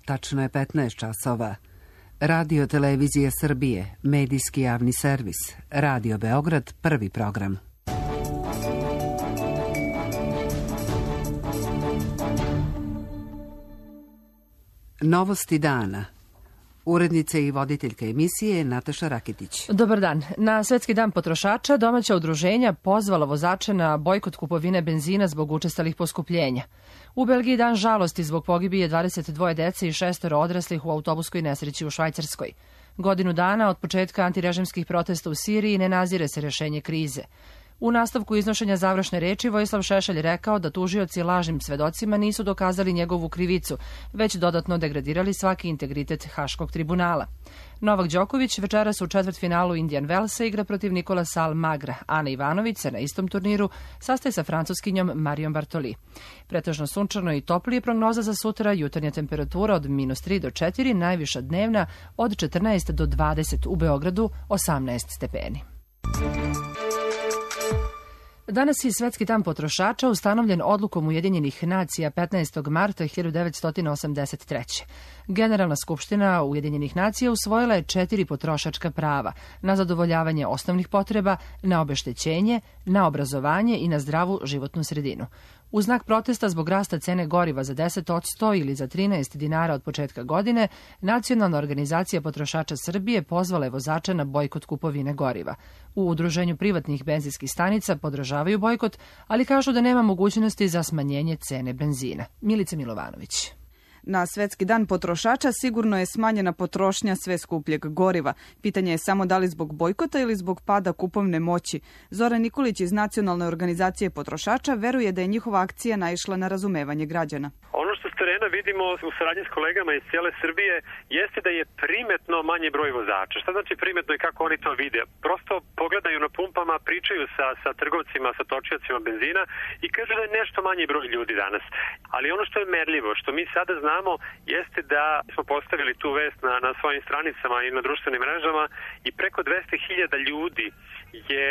tačno je 15 časova. Radio Televizija Srbije, medijski javni servis, Radio Beograd, prvi program. Novosti dana. Urednica i voditeljka emisije Nataša Raketić. Dobar dan. Na Svetski dan potrošača domaća udruženja pozvala vozače na bojkot kupovine benzina zbog učestalih poskupljenja. U Belgiji dan žalosti zbog pogibije 22 dece i 6 odraslih u autobuskoj nesreći u Švajcarskoj. Godinu dana od početka antirežimskih protesta u Siriji ne nazire se rešenje krize. U nastavku iznošenja završne reči Vojislav Šešelj rekao da tužioci lažnim svedocima nisu dokazali njegovu krivicu, već dodatno degradirali svaki integritet Haškog tribunala. Novak Đoković večeras u četvrtfinalu Indian Wellsa igra protiv Nicolasa Almagra. Ana Ivanović se na istom turniru sastaje sa francuskinjom Marijom Bartoli. Pretežno sunčano i toplije prognoza za sutra, jutarnja temperatura od -3 do 4, najviša dnevna od 14 do 20, u Beogradu 18 stepeni. Danas je Svetski dan potrošača ustanovljen odlukom Ujedinjenih nacija 15. marta 1983. Generalna skupština Ujedinjenih nacija usvojila je 4 potrošačka prava: na zadovoljavanje osnovnih potreba, na obeštećenje, na obrazovanje i na zdravu životnu sredinu. U znak protesta zbog rasta cene goriva za 10% ili za 13 dinara od početka godine, Nacionalna organizacija potrošača Srbije pozvala je vozače na bojkot kupovine goriva. U udruženju privatnih benzinskih stanica podržavaju bojkot, ali kažu da nema mogućnosti za smanjenje cene benzina. Milica Milovanović. Na Svetski dan potrošača sigurno je smanjena potrošnja sve skupljeg goriva. Pitanje je samo da li zbog bojkota ili zbog pada kupovne moći. Zoran Nikolić iz Nacionalne organizacije potrošača veruje da je njihova akcija naišla na razumevanje građana. Ono što s terena vidimo u saradnji s kolegama iz cijele Srbije jeste da je primetno manji broj vozača. Šta znači primetno i kako oni to vide? Prosto pogledaju na pumpama, pričaju sa trgovcima, sa točiocima benzina i kažu da je nešto manji broj ljudi danas. Ali ono što je merljivo, što mi sada znamo, jeste da smo postavili tu vest na svojim stranicama i na društvenim mrežama i preko 200.000 ljudi je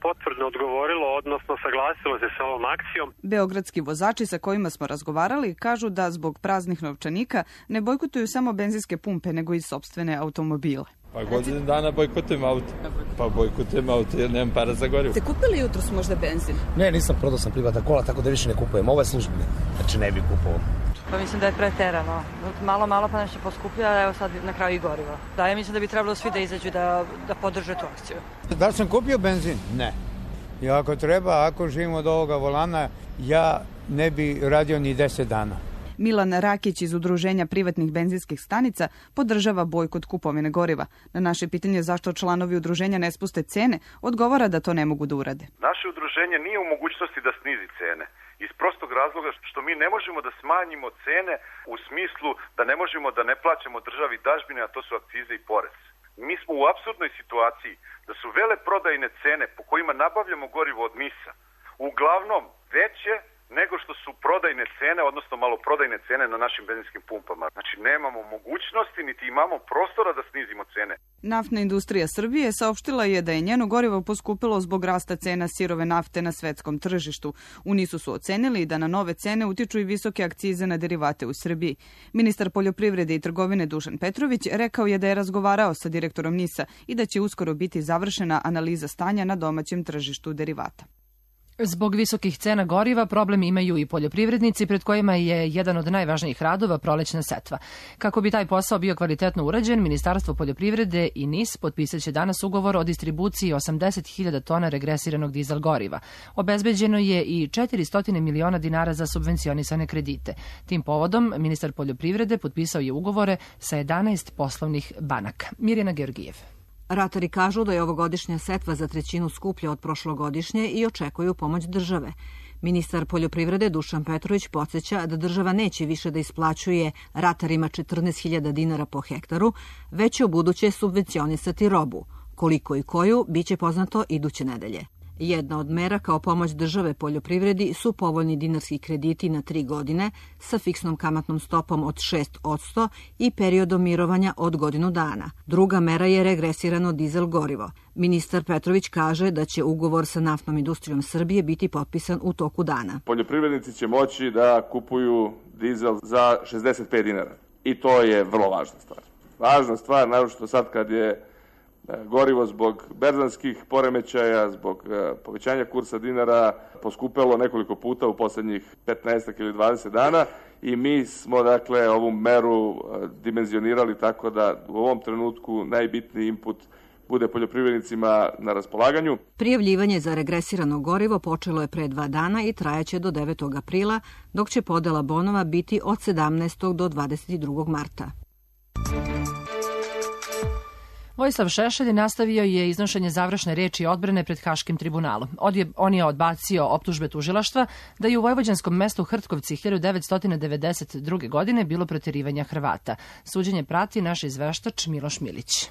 potvrdno odgovorilo, odnosno saglasilo se sa ovom akcijom. Beogradski vozači sa kojima smo razgovarali kažu da zbog praznih novčanika ne bojkotuju samo benzinske pumpe, nego i sopstvene automobile. Pa godinu dana bojkotujem auto. Pa bojkotujem auto jer nemam para za gorivo. Ste kupili jutros možda benzin? Ne, nisam, prodao sam privatna kola, tako da više ne kupujem. Ovo je službeni, znači ne bih kupovao. Pa mislim da je preterano. Malo pa nešto poskuplja, evo sad na kraju i gorivo. Da, ja mislim da bi trebalo svi da izađu da podrže tu akciju. Da li sam kupio benzin? Ne. I ako treba, ako živim od ovoga volana, ja ne bi radio ni 10 dana. Milan Rakić iz Udruženja privatnih benzinskih stanica podržava bojkot kupovine goriva. Na naše pitanje zašto članovi udruženja ne spuste cene, odgovara da to ne mogu da urade. Naše udruženje nije u mogućnosti da snizi cene. Iz prostog razloga što mi ne možemo da smanjimo cene u smislu da ne možemo da ne plaćamo državi dažbine, a to su akcize i porez. Mi smo u apsurdnoj situaciji da su veleprodajne cene po kojima nabavljamo gorivo od MIS-a uglavnom veće nego što su prodajne cene, odnosno maloprodajne cene na našim benzinskim pumpama. Znači, nemamo mogućnosti, niti imamo prostora da snizimo cene. Naftna industrija Srbije saopštila je da je njeno gorivo poskupilo zbog rasta cena sirove nafte na svetskom tržištu. U NIS-u su ocenili da na nove cene utiču i visoke akcize na derivate u Srbiji. Ministar poljoprivrede i trgovine Dušan Petrović rekao je da je razgovarao sa direktorom NIS-a i da će uskoro biti završena analiza stanja na domaćem tržištu derivata. Zbog visokih cena goriva problem imaju i poljoprivrednici, pred kojima je jedan od najvažnijih radova prolećna setva. Kako bi taj posao bio kvalitetno urađen, Ministarstvo poljoprivrede i NIS potpisat će danas ugovor o distribuciji 80.000 tona regresiranog dizel goriva. Obezbeđeno je i 400 miliona dinara za subvencionisane kredite. Tim povodom, ministar poljoprivrede potpisao je ugovore sa 11 poslovnih banaka. Mirjana Georgijev. Ratari kažu da je ovogodišnja setva za trećinu skuplja od prošlogodišnje i očekuju pomoć države. Ministar poljoprivrede Dušan Petrović podsjeća da država neće više da isplaćuje ratarima 14.000 dinara po hektaru, već će ubuduće subvencionisati robu. Koliko i koju, bit će poznato iduće nedelje. Jedna od mera kao pomoć države poljoprivredi su povoljni dinarski krediti na 3 godine sa fiksnom kamatnom stopom od 6% i periodom mirovanja od godinu dana. Druga mera je regresirano dizel gorivo. Ministar Petrović kaže da će ugovor sa Naftnom industrijom Srbije biti potpisan u toku dana. Poljoprivrednici će moći da kupuju dizel za 65 dinara. I to je vrlo važna stvar. Važna stvar, naročito sad kad je gorivo zbog berzanskih poremećaja, zbog povećanja kursa dinara poskupelo nekoliko puta u posljednjih 15 ili 20 dana i mi smo dakle ovu meru dimenzionirali tako da u ovom trenutku najbitniji input bude poljoprivrednicima na raspolaganju. Prijavljivanje za regresirano gorivo počelo je pre 2 dana i trajaće do 9. aprila, dok će podela bonova biti od 17. do 22. marta. Vojislav Šešelj nastavio je iznošenje završne reči odbrane pred Haškim tribunalom. On je odbacio optužbe tužilaštva da je u vojvođanskom mestu Hrtkovci 1992. godine bilo protjerivanja Hrvata. Suđenje prati naš izveštač Miloš Milić.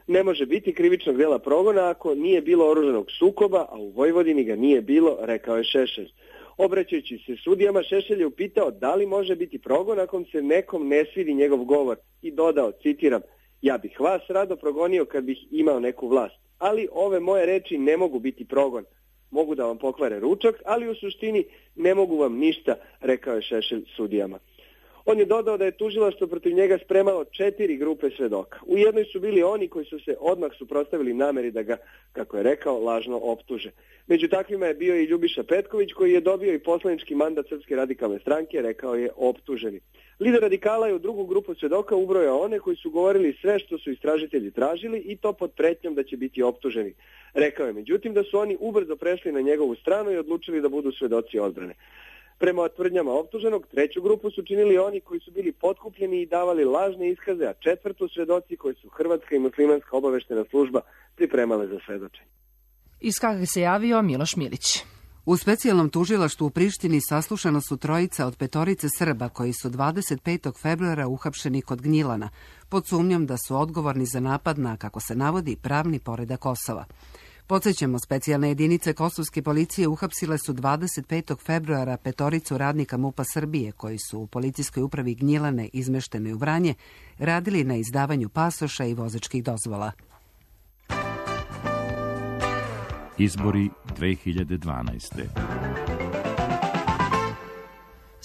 Ne može biti krivičnog dela progona ako nije bilo oružanog sukoba, a u Vojvodini ga nije bilo, rekao je Šešelj. Obraćajući se sudijama, Šešelj je upitao da li može biti progon ako se nekom ne svidi njegov govor i dodao, citiram, ja bih vas rado progonio kad bih imao neku vlast, ali ove moje reči ne mogu biti progon. Mogu da vam pokvare ručak, ali u suštini ne mogu vam ništa, rekao je Šešelj sudijama. On je dodao da je tužilaštvo protiv njega spremalo 4 grupe svedoka. U jednoj su bili oni koji su se odmah suprotstavili nameri da ga, kako je rekao, lažno optuže. Među takvima je bio i Ljubiša Petković koji je dobio i poslanički mandat Srpske radikalne stranke, rekao je optuženi. Lider radikala je u drugu grupu svedoka ubrojao one koji su govorili sve što su istražitelji tražili i to pod pretnjom da će biti optuženi. Rekao je međutim da su oni ubrzo prešli na njegovu stranu i odlučili da budu svedoci odbrane. Prema tvrdnjama optuženog, 3. grupu su činili oni koji su bili potkupljeni i davali lažne iskaze, a 4. svedoci koji su Hrvatska i muslimanska obaveštena služba pripremale za svedočenje. Iz Kage se javio Miloš Milić. U specijalnom tužilaštvu u Prištini saslušano su 3 od 5 Srba koji su 25. februara uhapšeni kod Gnjilana, pod sumnjom da su odgovorni za napad na, kako se navodi, pravni poredak Kosova. Podsjećamo, specijalne jedinice kosovske policije uhapsile su 25. februara 5 radnika MUP-a Srbije koji su u policijskoj upravi Gnjilane izmešteni u Vranje radili na izdavanju pasoša i vozačkih dozvola. Izbori 2012.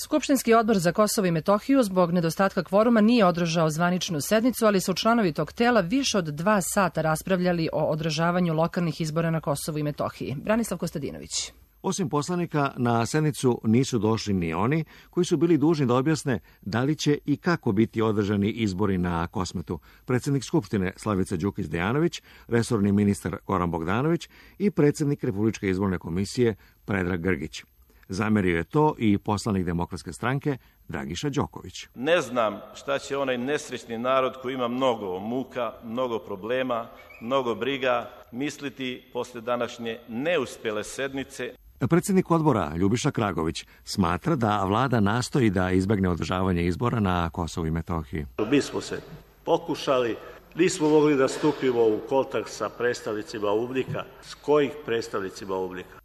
Skupštinski odbor za Kosovo i Metohiju zbog nedostatka kvoruma nije održao zvaničnu sednicu, ali su članovi tog tela više od 2 sata raspravljali o održavanju lokalnih izbora na Kosovu i Metohiji. Branislav Kostadinović. Osim poslanika, na sednicu nisu došli ni oni koji su bili dužni da objasne da li će i kako biti održani izbori na Kosmetu. Predsjednik Skupštine Slavica Đukić-Dejanović, resorni ministar Goran Bogdanović i predsjednik Republičke izborne komisije Predrag Grgić. Zamerio je to i poslanik Demokratske stranke Dragiša Đoković. Ne znam šta će onaj nesrećni narod koji ima mnogo muka, mnogo problema, mnogo briga misliti posle današnje neuspjele sednice. Predsjednik odbora Ljubiša Kragović smatra da vlada nastoji da izbegne održavanje izbora na Kosovu i Metohiji. Mi smo se pokušali, nismo mogli da stupimo u kontakt sa predstavnicima UBNIK-a. S kojih predstavnicima UBNIK-a?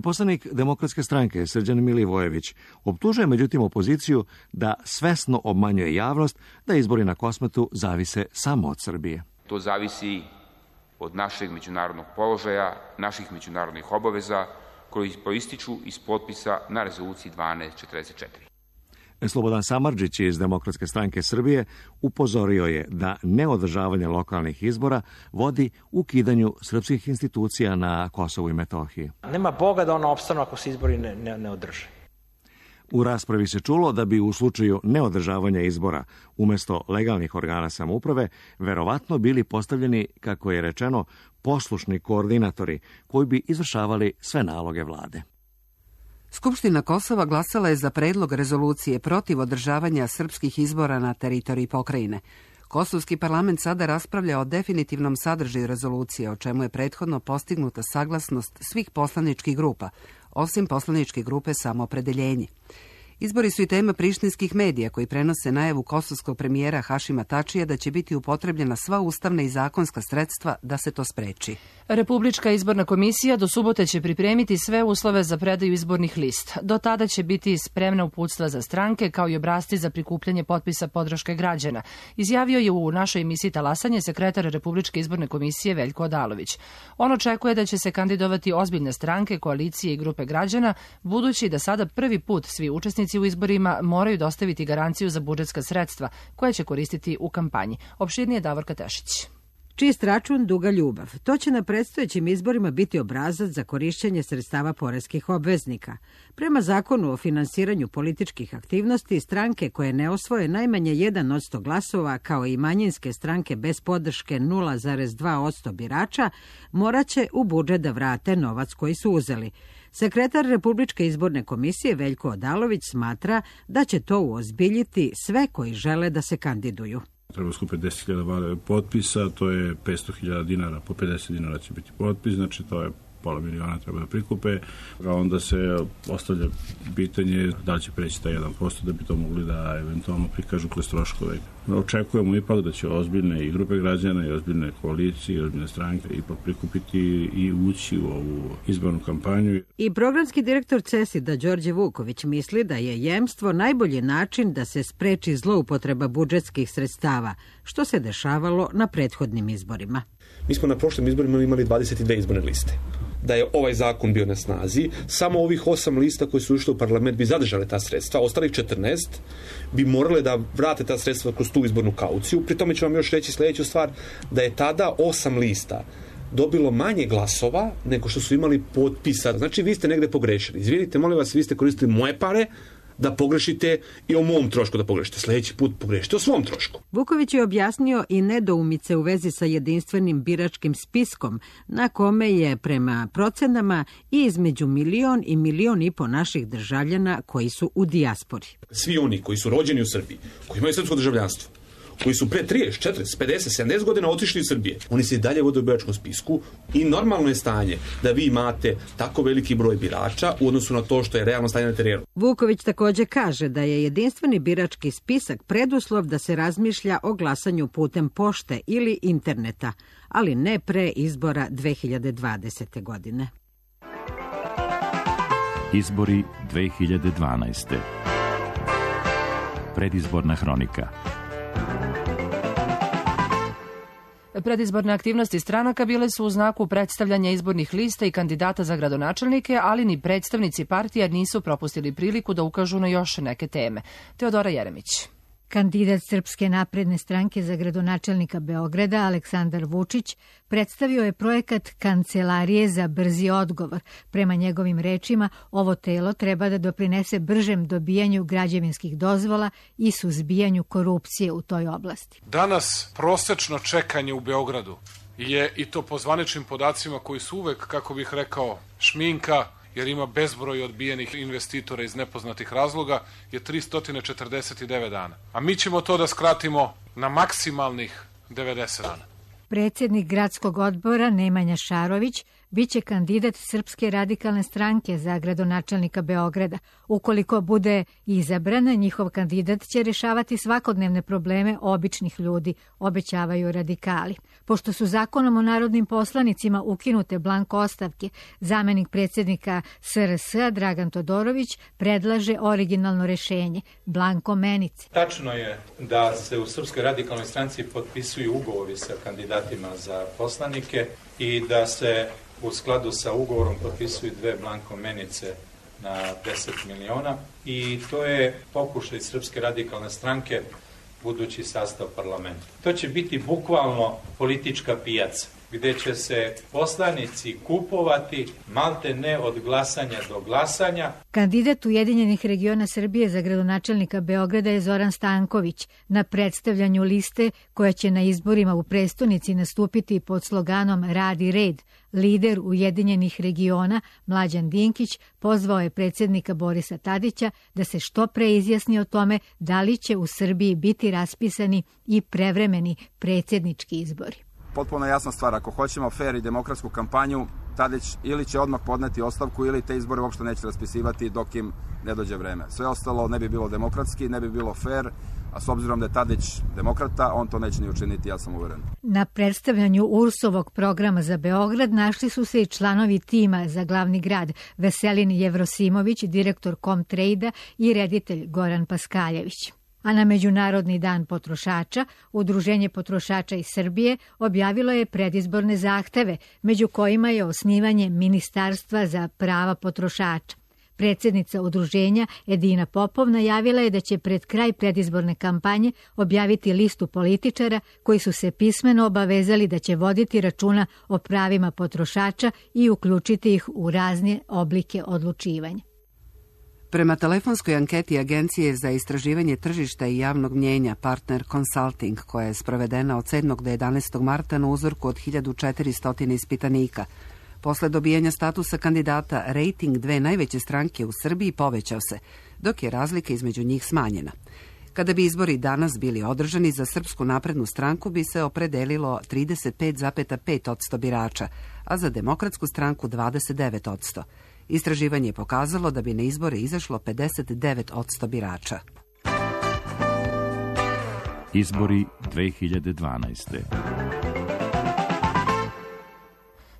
Poslanik Demokratske stranke Srđan Milivojević optužuje međutim opoziciju da svesno obmanjuje javnost da izbori na Kosmetu zavise samo od Srbije. To zavisi od našeg međunarodnog položaja, naših međunarodnih obaveza koji proističu iz potpisa na rezoluciji 1244. Slobodan Samardžić iz Demokratske stranke Srbije upozorio je da neodržavanje lokalnih izbora vodi ukidanju srpskih institucija na Kosovu i Metohiji. Nema Boga da ono opstanu ako se izbori ne održe. U raspravi se čulo da bi u slučaju neodržavanja izbora umjesto legalnih organa samouprave verovatno bili postavljeni, kako je rečeno, poslušni koordinatori koji bi izvršavali sve naloge vlade. Skupština Kosova glasala je za predlog rezolucije protiv održavanja srpskih izbora na teritoriji pokrajine. Kosovski parlament sada raspravlja o definitivnom sadržaju rezolucije, o čemu je prethodno postignuta saglasnost svih poslaničkih grupa, osim poslaničke grupe Samoopredeljenje. Izbori su i tema prištinskih medija koji prenose najavu kosovskog premijera Hašima Tačija da će biti upotrebljena sva ustavna i zakonska sredstva da se to spreči. Republička izborna komisija do subote će pripremiti sve uslove za predaju izbornih lista. Do tada će biti spremna uputstva za stranke kao i obrasci za prikupljanje potpisa podrške građana, izjavio je u našoj emisiji Talasanje sekretar Republičke izborne komisije Veljko Odalović. On očekuje da će se kandidovati ozbiljne stranke, koalicije i grupe građana, budući da sada prvi put svi učesnici u izborima moraju dostaviti garanciju za budžetska sredstva koje će koristiti u kampanji. Opširnije Davorka Tešić. Čist račun, duga ljubav. To će na predstojećim izborima biti obrazac za korišćenje sredstava poreskih obveznika. Prema zakonu o finansiranju političkih aktivnosti, stranke koje ne osvoje najmanje 1% glasova, kao i manjinske stranke bez podrške 0,2% birača, moraće u budžet da vrate novac koji su uzeli. Sekretar Republičke izborne komisije Veljko Odalović smatra da će to uozbiljiti sve koji žele da se kandiduju. Treba skupiti 10.000 potpisa, to je 500.000 dinara, po 50 dinara će biti potpis, znači to je pola miliona treba da prikupe, a onda se ostavlja pitanje da li će preći taj 1% da bi to mogli da eventualno prikažu kroz troškove. Očekujemo ipak da će ozbiljne i grupe građana i ozbiljne koalicije i ozbiljne stranke ipak prikupiti i ući u ovu izbornu kampanju. I programski direktor CESID-a Đorđe Vuković misli da je jemstvo najbolji način da se spreči zloupotreba budžetskih sredstava, što se dešavalo na prethodnim izborima. Mi smo na prošlim izborima imali 22 izborne liste. Da je ovaj zakon bio na snazi, samo ovih 8 lista koji su ušli u parlament bi zadržale ta sredstva, ostalih 14 bi morale da vrate ta sredstva kroz tu izbornu kauciju. Pri tome ću vam još reći sljedeću stvar, da je tada 8 lista dobilo manje glasova nego što su imali potpisa. Znači, vi ste negde pogrešili. Izvinite, molim vas, vi ste koristili moje pare da pogrešite i o mom trošku da pogrešite. Sljedeći put pogrešite o svom trošku. Vuković je objasnio i nedoumice u vezi sa jedinstvenim biračkim spiskom, na kome je prema procenama i između 1 i 1,5 miliona naših državljana koji su u dijaspori. Svi oni koji su rođeni u Srbiji, koji imaju srpsko državljanstvo, koji su pre 30, 40, 50, 70 godina otišli iz Srbije, oni se i dalje vode u biračkom spisku i normalno je stanje da vi imate tako veliki broj birača u odnosu na to što je realno stanje na terenu. Vuković također kaže da je jedinstveni birački spisak preduslov da se razmišlja o glasanju putem pošte ili interneta, ali ne pre izbora 2020. godine. Izbori 2012. Predizborna hronika. Predizborne aktivnosti stranaka bile su u znaku predstavljanja izbornih lista i kandidata za gradonačelnike, ali ni predstavnici partija nisu propustili priliku da ukažu na još neke teme. Teodora Jeremić. Kandidat Srpske napredne stranke za gradonačelnika Beograda, Aleksandar Vučić, predstavio je projekat Kancelarije za brzi odgovor. Prema njegovim rečima, ovo telo treba da doprinese bržem dobijanju građevinskih dozvola i suzbijanju korupcije u toj oblasti. Danas prosečno čekanje u Beogradu je, i to po zvaničnim podacima koji su uvek, kako bih rekao, šminka, jer ima bezbroj odbijenih investitora iz nepoznatih razloga, je 349 dana. A mi ćemo to da skratimo na maksimalnih 90 dana. Predsjednik gradskog odbora Nemanja Šarović biće kandidat Srpske radikalne stranke za gradonačelnika Beograda. Ukoliko bude izabran, njihov kandidat će rešavati svakodnevne probleme običnih ljudi, obećavaju radikali. Pošto su zakonom o narodnim poslanicima ukinute blanko ostavke, zamenik predsjednika SRS-a Dragan Todorović predlaže originalno rešenje – blanko menice. Tačno je da se u Srpskoj radikalnoj stranci potpisuju ugovori sa kandidatima za poslanike i da se u skladu sa ugovorom potpisuju 2 blanko menice na 10 miliona i to je pokušaj Srpske radikalne stranke budući sastav parlamenta. To će biti bukvalno politička pijaca gdje će se poslanici kupovati malte ne od glasanja do glasanja. Kandidat Ujedinjenih regiona Srbije za gradonačelnika Beograda je Zoran Stanković. Na predstavljanju liste koja će na izborima u prestonici nastupiti pod sloganom Rad i red, lider Ujedinjenih regiona Mlađan Dinkić pozvao je predsjednika Borisa Tadića da se što pre izjasni o tome da li će u Srbiji biti raspisani i prevremeni predsjednički izbori. Potpuno jasna stvar, ako hoćemo fer i demokratsku kampanju, Tadić ili će odmah podneti ostavku ili te izbore uopšte neće raspisivati dok im ne dođe vreme. Sve ostalo ne bi bilo demokratski, ne bi bilo fer, a s obzirom da je Tadić demokrata, on to neće ni učiniti, ja sam uveren. Na predstavljanju URS-ovog programa za Beograd našli su se i članovi tima za glavni grad Veselin Jevrosimović, direktor Comtrade-a i reditelj Goran Paskaljević. A na Međunarodni dan potrošača, Udruženje potrošača iz Srbije objavilo je predizborne zahteve, među kojima je osnivanje Ministarstva za prava potrošača. Predsjednica udruženja Edina Popov najavila je da će pred kraj predizborne kampanje objaviti listu političara koji su se pismeno obavezali da će voditi računa o pravima potrošača i uključiti ih u razne oblike odlučivanja. Prema telefonskoj anketi Agencije za istraživanje tržišta i javnog mnjenja Partner Consulting, koja je sprovedena od 7. do 11. marta na uzorku od 1400 ispitanika, posle dobijanja statusa kandidata, rejting dve najveće stranke u Srbiji povećao se, dok je razlika između njih smanjena. Kada bi izbori danas bili održani, za Srpsku naprednu stranku bi se opredelilo 35,5% birača, a za Demokratsku stranku 29%. Istraživanje je pokazalo da bi na izbore izašlo 59% birača. Izbori 2012.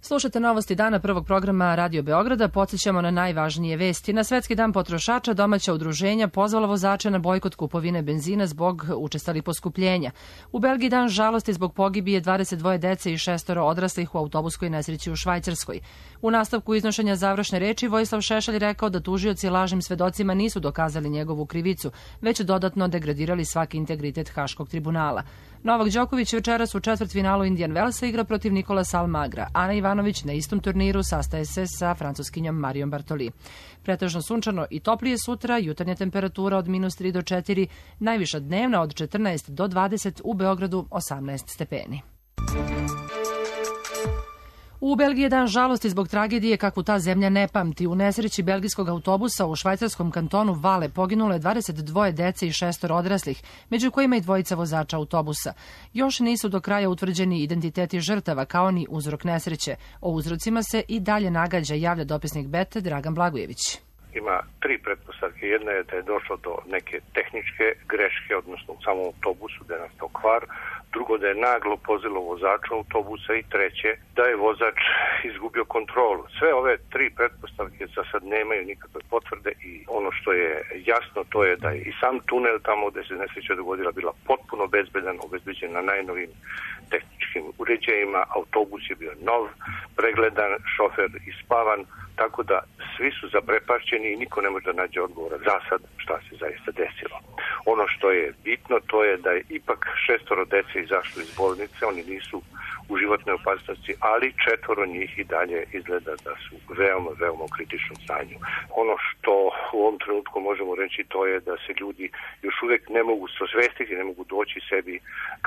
Slušate novosti dana prvog programa Radio Beograda. Podsjećamo na najvažnije vesti. Na Svetski dan potrošača domaća udruženja pozvala vozače na bojkot kupovine benzina zbog učestalih poskupljenja. U Belgiji dan žalosti zbog pogibije 22 dece i 6 odraslih u autobuskoj nesreći u Švajcarskoj. U nastavku iznošenja završne reči Vojislav Šešelj rekao da tužioci lažnim svedocima nisu dokazali njegovu krivicu, već dodatno degradirali svaki integritet Haškog tribunala. Novak Đoković večeras u četvrtfinalu Indian Wellsa igra protiv Nikolasa Almagra. Ana Ivanović na istom turniru sastaje se sa francuskinjom Marijom Bartoli. Pretežno sunčano i toplije sutra, jutarnja temperatura od -3 do 4, najviša dnevna od 14 do 20, u Beogradu 18 stepeni. U Belgiji je dan žalosti zbog tragedije kakvu ta zemlja ne pamti. U nesreći belgijskog autobusa u švajcarskom kantonu Vale poginulo je 22 dece i 6 odraslih, među kojima i dvojica vozača autobusa. Još nisu do kraja utvrđeni identiteti žrtava, kao ni uzrok nesreće. O uzrocima se i dalje nagađa, javlja dopisnik Bete Dragan Blagojević. Ima 3 pretpostavke. Jedna je da je došlo do neke tehničke greške, odnosno u samom autobusu da je nastao kvar. Drugo, da je naglo pozilo vozača autobusa i treće, da je vozač izgubio kontrolu. Sve ove 3 pretpostavke za sad nemaju nikakve potvrde i ono što je jasno to je da je i sam tunel tamo gde se nesreća dogodila bila potpuno bezbedan, obezbeđen na najnovim tehničkim uređajima, autobus je bio nov, pregledan, šofer ispavan, tako da svi su zaprepašćeni i niko ne može da nađe odgovora za sad šta se zaista desilo. Ono što je bitno to je da je ipak 6 dece izašlo iz bolnice, oni nisu u životnoj opasnosti, ali 4 njih i dalje izgleda da su veoma, veoma u kritičnom stanju. Ono što u ovom trenutku možemo reći to je da se ljudi još uvijek ne mogu sosvestiti, ne mogu doći sebi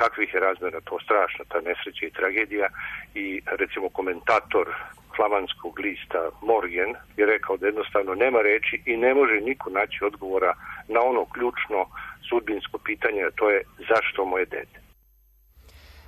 kakvih je razmjera to strašna, ta nesreća i tragedija i recimo komentator flamanskog lista Morgen je rekao da jednostavno nema reči i ne može niko naći odgovora na ono ključno sudbinsko pitanje, a to je zašto moje dete.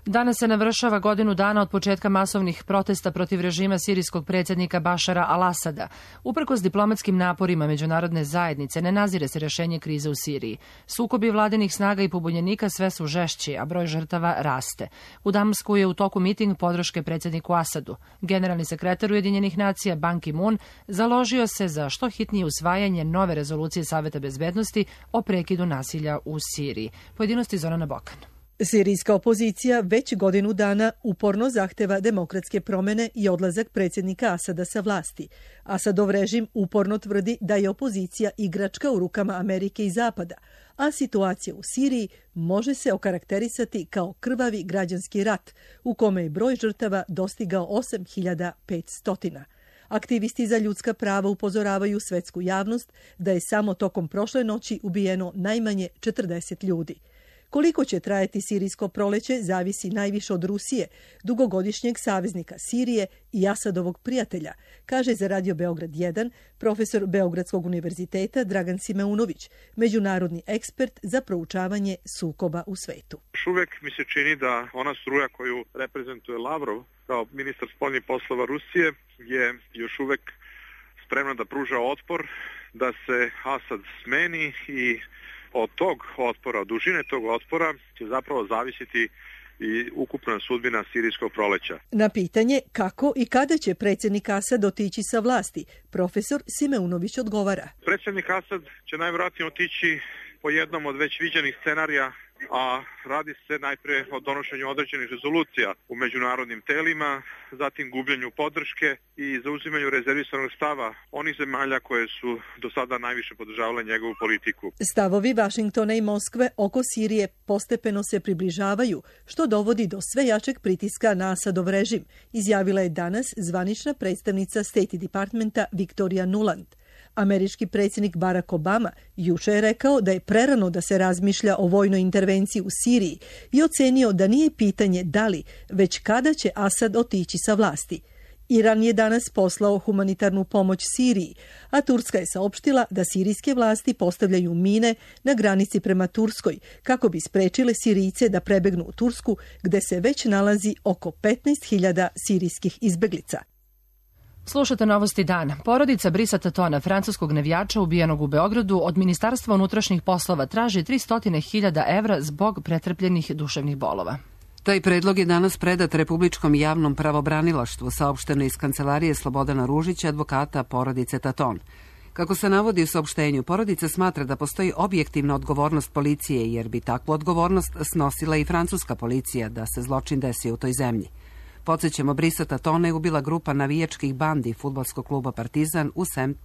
Danas se navršava godinu dana od početka masovnih protesta protiv režima sirijskog predsjednika Bašara al-Asada. Uprkos diplomatskim naporima međunarodne zajednice ne nazire se rješenje krize u Siriji. Sukobi vladinih snaga i pobunjenika sve su žešći, a broj žrtava raste. U Damasku je u toku miting podrške predsjedniku Asadu. Generalni sekretar Ujedinjenih nacija Ban Ki-moon založio se za što hitnije usvajanje nove rezolucije Saveta bezbednosti o prekidu nasilja u Siriji. Pojedinosti Zorana Bokan. Sirijska opozicija već godinu dana uporno zahteva demokratske promjene i odlazak predsjednika Asada sa vlasti. Asadov režim uporno tvrdi da je opozicija igračka u rukama Amerike i Zapada, a situacija u Siriji može se okarakterisati kao krvavi građanski rat, u kome je broj žrtava dostigao 8500. Aktivisti za ljudska prava upozoravaju svetsku javnost da je samo tokom prošle noći ubijeno najmanje 40 ljudi. Koliko će trajati sirijsko proleće zavisi najviše od Rusije, dugogodišnjeg saveznika Sirije i Asadovog prijatelja, kaže za Radio Beograd 1 profesor Beogradskog univerziteta Dragan Simeunović, međunarodni ekspert za proučavanje sukoba u svetu. Još uvek mi se čini da ona struja koju reprezentuje Lavrov kao ministar spoljnih poslova Rusije je još uvek spremna da pruža otpor, da se Asad smeni i Od tog otpora, od dužine tog otpora će zapravo zavisiti i ukupna sudbina sirijskog proleća. Na pitanje kako i kada će predsjednik Asad otići sa vlasti, profesor Simeunović odgovara. Predsjednik Asad će najvjerojatnije otići po jednom od već viđenih scenarija, a radi se najprije o donošenju određenih rezolucija u međunarodnim telima, zatim gubljenju podrške i zauzimanju rezervisanog stava onih zemalja koje su do sada najviše podržavale njegovu politiku. Stavovi Vašingtona i Moskve oko Sirije postepeno se približavaju, što dovodi do sve jačeg pritiska na Asadov režim, izjavila je danas zvanična predstavnica State Departmenta Victoria Nuland. Američki predsjednik Barack Obama juče je rekao da je prerano da se razmišlja o vojnoj intervenciji u Siriji i ocenio da nije pitanje da li, već kada će Asad otići sa vlasti. Iran je danas poslao humanitarnu pomoć Siriji, a Turska je saopštila da sirijske vlasti postavljaju mine na granici prema Turskoj kako bi sprečile Sirijce da prebegnu u Tursku, gde se već nalazi oko 15.000 sirijskih izbeglica. Slušate novosti dana. Porodica Brisa Tatona, francuskog navijača ubijenog u Beogradu, od Ministarstva unutrašnjih poslova traži 300.000 evra zbog pretrpljenih duševnih bolova. Taj predlog je danas predat Republičkom javnom pravobranilaštvu, saopšteno iz kancelarije Slobodana Ružića, advokata porodice Taton. Kako se navodi u saopštenju, porodica smatra da postoji objektivna odgovornost policije, jer bi takvu odgovornost snosila i francuska policija da se zločin desio u toj zemlji. Podsjećamo, Brisa Tatona je ubila grupa navijačkih bandi fudbalskog kluba Partizan u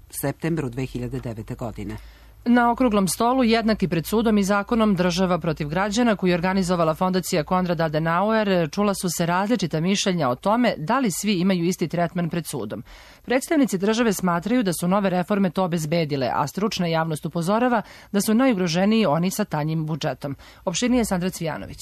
septembru 2009. godine. Na okruglom stolu, jednaki pred sudom i zakonom država protiv građana, koju je organizovala fondacija Konrad Adenauer, čula su se različita mišljenja o tome da li svi imaju isti tretman pred sudom. Predstavnici države smatraju da su nove reforme to obezbedile, a stručna javnost upozorava da su najugroženiji oni sa tanjim budžetom. Opširnije Sandra Cvijanović.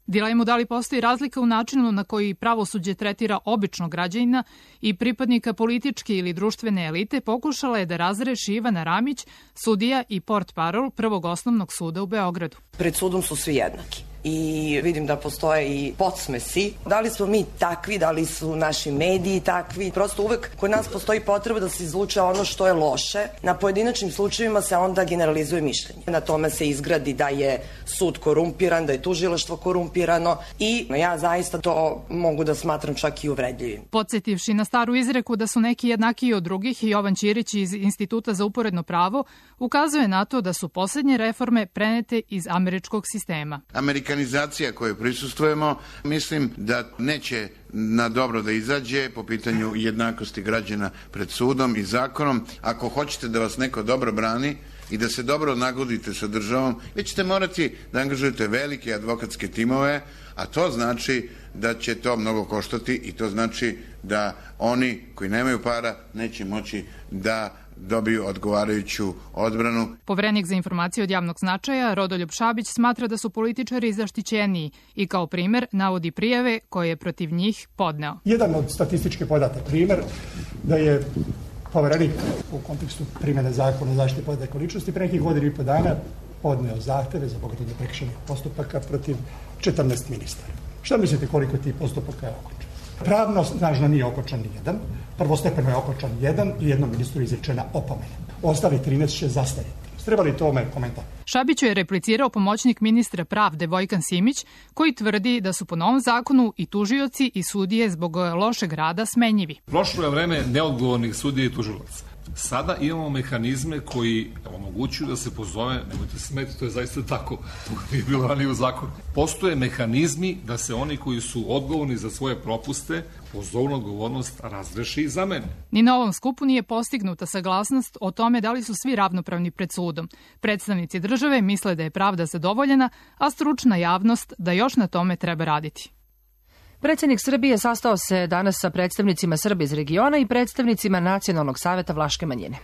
Dilemu da li postoji razlika u načinu na koji pravosuđe tretira običnog građanina i pripadnika političke ili društvene elite pokušala je da razreši Ivana Ramić, sudija i portparol Prvog osnovnog suda u Beogradu. Pred sudom su svi jednaki. I vidim da postoje i podsmesi. Da li smo mi takvi, da li su naši mediji takvi. Prosto uvek kod nas postoji potreba da se izluče ono što je loše. Na pojedinačnim slučajevima se onda generalizuje mišljenje. Na tome se izgradi da je sud korumpiran, da je tužilaštvo korumpirano i ja zaista to mogu da smatram čak i uvredljivim. Podsjetivši na staru izreku da su neki jednakiji od drugih, Jovan Ćirić iz Instituta za uporedno pravo ukazuje na to da su poslednje reforme prenete iz američkog sistema. Amerikanizacija koju prisustvujemo, mislim da neće na dobro da izađe po pitanju jednakosti građana pred sudom i zakonom. Ako hoćete da vas neko dobro brani i da se dobro nagodite sa državom, vi ćete morati da angažujete velike advokatske timove, a to znači da će to mnogo koštati i to znači da oni koji nemaju para neće moći da dobiju odgovarajuću odbranu. Poverenik za informacije od javnog značaja Rodoljub Šabić smatra da su političari zaštićeniji i kao primer navodi prijave koje je protiv njih podneo. Jedan od statističkih podataka primer da je poverenik u kontekstu primjene zakona o zaštiti podataka o ličnosti pre nekih godina i po dana podneo zahteve za pokretanje prekršajnih postupaka protiv 14 ministara. Šta mislite koliko tih postupaka je okončano? Pravno snažno nije okončan ni jedan, prvostepeno je okončan jedan i jednom ministru izrečena opomena. Ostali 13 će zastariti. Treba li tome komentar? Šabiću je replicirao pomoćnik ministra pravde Vojkan Simić, koji tvrdi da su po novom zakonu i tužioci i sudije zbog lošeg rada smenjivi. Prošlo je vreme neodgovornih sudija i tužilaca. Sada imamo mehanizme koji omogućuju da se pozove, nemojte se smeti, to je zaista tako, to nije bilo ranije u zakonu. Postoje mehanizmi da se oni koji su odgovorni za svoje propuste pozovu na odgovornost razreši i zamene. Ni na ovom skupu nije postignuta saglasnost o tome da li su svi ravnopravni pred sudom. Predstavnici države misle da je pravda zadovoljena, a stručna javnost da još na tome treba raditi. Predsjednik Srbije sastao se danas sa predstavnicima Srba iz regiona i predstavnicima Nacionalnog saveta vlaške manjine.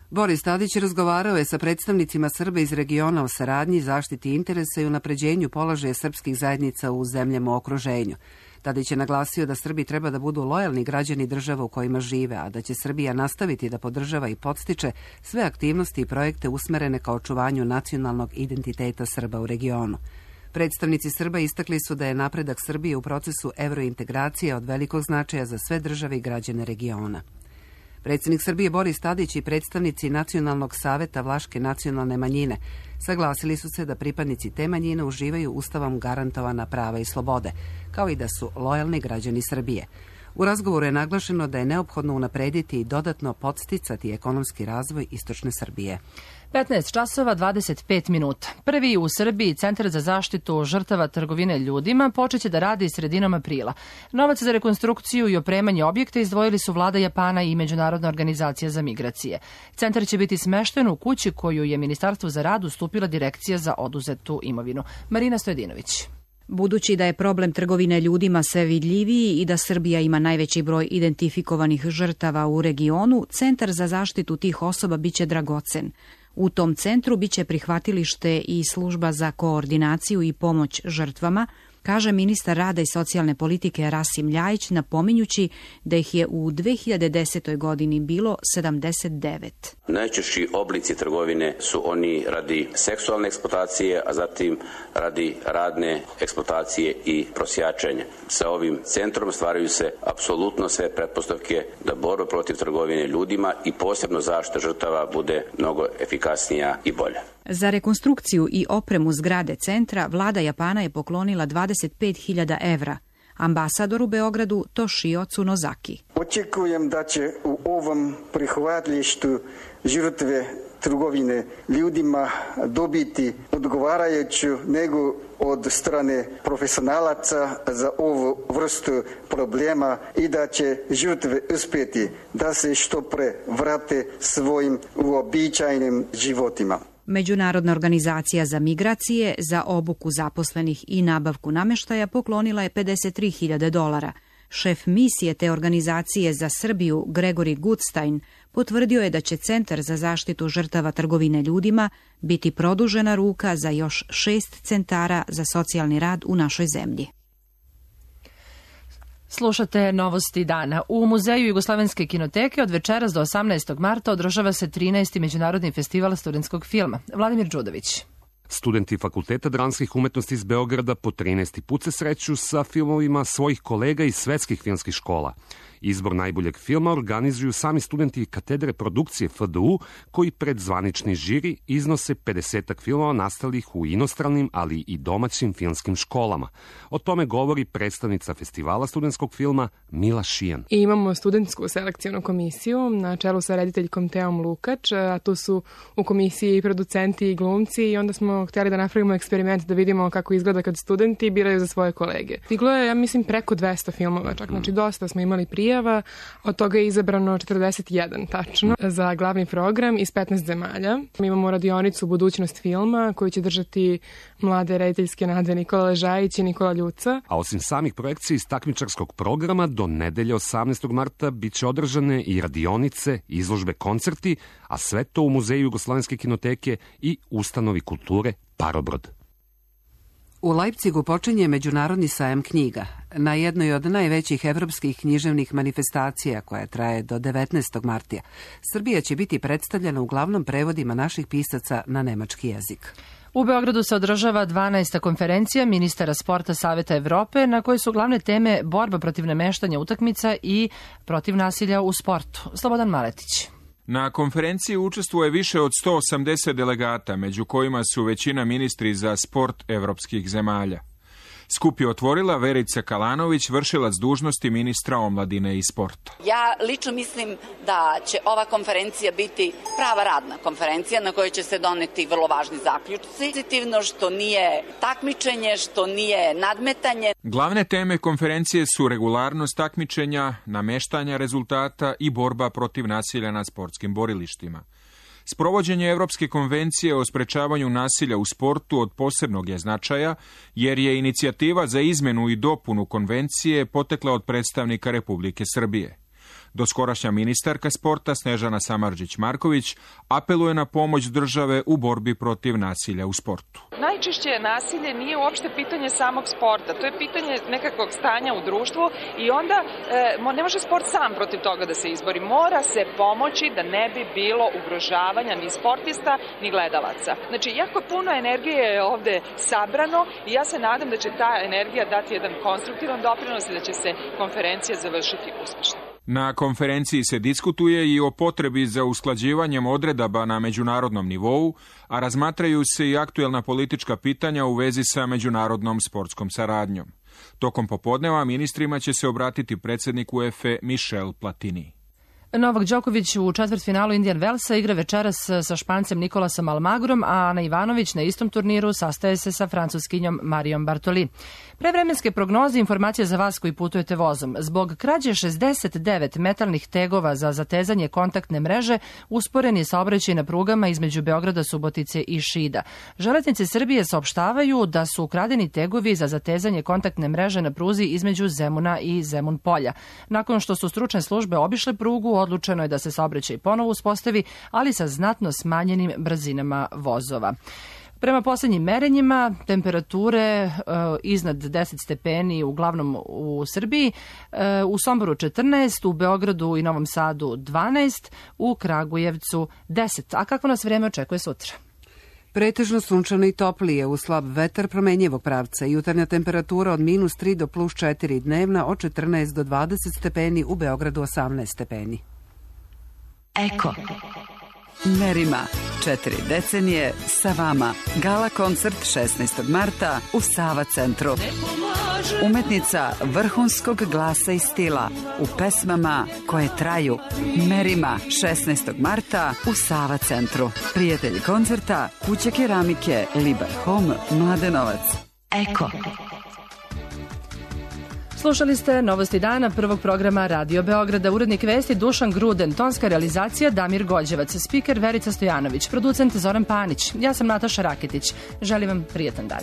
Boris Tadić razgovarao je sa predstavnicima Srba iz regiona o saradnji, zaštiti interesa i unapređenju položaja srpskih zajednica u zemljama u okruženju. Tadić je naglasio da Srbi treba da budu lojalni građani država u kojima žive, a da će Srbija nastaviti da podržava i podstiče sve aktivnosti i projekte usmerene ka očuvanju nacionalnog identiteta Srba u regionu. Predstavnici Srba istakli su da je napredak Srbije u procesu evrointegracije od velikog značaja za sve države i građane regiona. Predsjednik Srbije Boris Tadić i predstavnici Nacionalnog saveta vlaške nacionalne manjine Saglasili su se da pripadnici te manjine uživaju ustavom garantovana prava i slobode, kao i da su lojalni građani Srbije. U razgovoru je naglašeno da je neophodno unaprediti i dodatno podsticati ekonomski razvoj istočne Srbije. 15 časova 25 minuta. Prvi u Srbiji Centar za zaštitu žrtava trgovine ljudima počeće da radi sredinom aprila. Novac za rekonstrukciju i opremanje objekta izdvojili su vlada Japana i Međunarodna organizacija za migracije. Centar će biti smešten u kući koju je Ministarstvu za rad ustupila Direkcija za oduzetu imovinu. Marina Stojedinović. Budući da je problem trgovine ljudima sve vidljiviji i da Srbija ima najveći broj identifikovanih žrtava u regionu, Centar za zaštitu tih osoba biće dragocen. U tom centru biće prihvatilište i služba za koordinaciju i pomoć žrtvama, kaže ministar rada i socijalne politike Rasim Ljajić, napominjući da ih je u 2010. godini bilo 79. Najčešći oblici trgovine su oni radi seksualne eksploatacije, a zatim radi radne eksploatacije i prosjačenja. Sa ovim centrom stvaraju se apsolutno sve pretpostavke da borba protiv trgovine ljudima i posebno zaštita žrtava bude mnogo efikasnija i bolja. Za rekonstrukciju i opremu zgrade centra vlada Japana je poklonila 25.000 evra. Ambasador u Beogradu Toshio Tsunozaki. Očekujem da će u ovom prihvatilištu žrtve trgovine ljudima dobiti odgovarajuću nego od strane profesionalaca za ovu vrstu problema i da će žrtve uspjeti da se što pre vrate svojim uobičajenim životima. Međunarodna organizacija za migracije za obuku zaposlenih i nabavku namještaja poklonila je $53.000. Šef misije te organizacije za Srbiju, Gregori Gutstein, potvrdio je da će Centar za zaštitu žrtava trgovine ljudima biti produžena ruka za još 6 centara za socijalni rad u našoj zemlji. Slušate novosti dana. U Muzeju Jugoslovenske kinoteke od večeras do 18. marta održava se 13. Međunarodni festival studentskog filma. Vladimir Đudović. Studenti Fakulteta dramskih umetnosti iz Beograda po 13. put se sreću sa filmovima svojih kolega iz svetskih filmskih škola. Izbor najboljeg filma organizuju sami studenti katedre produkcije FDU, koji pred zvanični žiri iznose 50 filmova nastalih u inostranim, ali i domaćim filmskim školama. O tome govori predstavnica festivala studentskog filma Mila Šijan. I imamo studentsku selekcijonu komisiju na čelu sa rediteljkom Teom Lukač, a tu su u komisiji i producenti i glumci, i onda smo htjeli da napravimo eksperiment da vidimo kako izgleda kad studenti biraju za svoje kolege. Stiglo je, ja mislim, preko 200 filmova, čak, znači dosta smo imali prijava, od toga je izabrano 41 tačno za glavni program iz 15 zemalja. Mi imamo radionicu Budućnost filma koju će držati mlade rediteljske nade Nikola Ležajić i Nikola Ljuca. A osim samih projekcija iz takmičarskog programa, do nedelje 18. marta bit će održane i radionice, izložbe, koncerti, a sve to u Muzeju Jugoslovenske kinoteke i ustanovi kulture Parobrod. U Leipzigu počinje Međunarodni sajam knjiga. Na jednoj od najvećih evropskih književnih manifestacija, koja traje do 19. marta, Srbija će biti predstavljena uglavnom prevodima naših pisaca na nemački jezik. U Beogradu se održava 12. konferencija ministara sporta Saveta Evrope, na kojoj su glavne teme borba protiv nameštanja utakmica i protiv nasilja u sportu. Slobodan Maletić. Na konferenciji učestvuje više od 180 delegata, među kojima su većina ministri za sport evropskih zemalja. Skup je otvorila Verica Kalanović, vršilac dužnosti ministra omladine i sporta. Ja lično mislim da će ova konferencija biti prava radna konferencija na kojoj će se doneti vrlo važni zaključci. Pozitivno što nije takmičenje, što nije nadmetanje. Glavne teme konferencije su regularnost takmičenja, nameštanja rezultata i borba protiv nasilja na sportskim borilištima. Sprovođenje Evropske konvencije o sprečavanju nasilja u sportu od posebnog je značaja, jer je inicijativa za izmenu i dopunu konvencije potekla od predstavnika Republike Srbije. Doskorašnja ministarka sporta Snežana Samardžić-Marković apeluje na pomoć države u borbi protiv nasilja u sportu. Najčešće nasilje nije uopšte pitanje samog sporta, to je pitanje nekakvog stanja u društvu i onda ne može sport sam protiv toga da se izbori. Mora se pomoći da ne bi bilo ugrožavanja ni sportista ni gledalaca. Znači, jako puno energije je ovde sabrano i ja se nadam da će ta energija dati jedan konstruktivan doprinos i da će se konferencija završiti uspešno. Na konferenciji se diskutuje i o potrebi za usklađivanjem odredaba na međunarodnom nivou, a razmatraju se i aktuelna politička pitanja u vezi sa međunarodnom sportskom saradnjom. Tokom popodneva ministrima će se obratiti predsjednik UEFA Michel Platini. Novak Đoković u četvrtfinalu Indian Wellsa igra večeras sa Špancem Nikolasom Almagrom, a Ana Ivanović na istom turniru sastaje se sa Francuskinjom Marijom Bartoli. Prevremenske prognoze, informacije za vas koji putujete vozom. Zbog krađe 69 metalnih tegova za zatezanje kontaktne mreže, usporen je saobraćaj na prugama između Beograda, Subotice i Šida. Železnice Srbije saopštavaju da su ukradeni tegovi za zatezanje kontaktne mreže na pruzi između Zemuna i Zemun polja. Nakon što su stručne službe obišle prugu, odlučeno je da se saobraćaj ponovo uspostavi, ali sa znatno smanjenim brzinama vozova. Prema poslednjim merenjima, temperature iznad 10 stepeni uglavnom u Srbiji, u Somboru 14, u Beogradu i Novom Sadu 12, u Kragujevcu 10. A kako nas vreme očekuje sutra? Pretežno sunčano i toplije, uz slab vetar promenjivog pravca. Jutarnja temperatura od -3 do +4, dnevna od 14 do 20 stepeni, u Beogradu 18 stepeni. Eko. Merima, 4 decenije sa vama. Gala koncert 16. marta u Sava centru. Umetnica vrhunskog glasa i stila u pesmama koje traju. Merima, 16. marta u Sava centru. Prijatelji koncerta, Kuća keramike, Libar Home, Mladenovac. Eko. Slušali ste Novosti dana prvog programa Radio Beograda. Urednik vesti Dušan Gruden, tonska realizacija Damir Gođevac, spiker Verica Stojanović, producent Zoran Panić. Ja sam Nataša Raketić. Želim vam prijetan dan.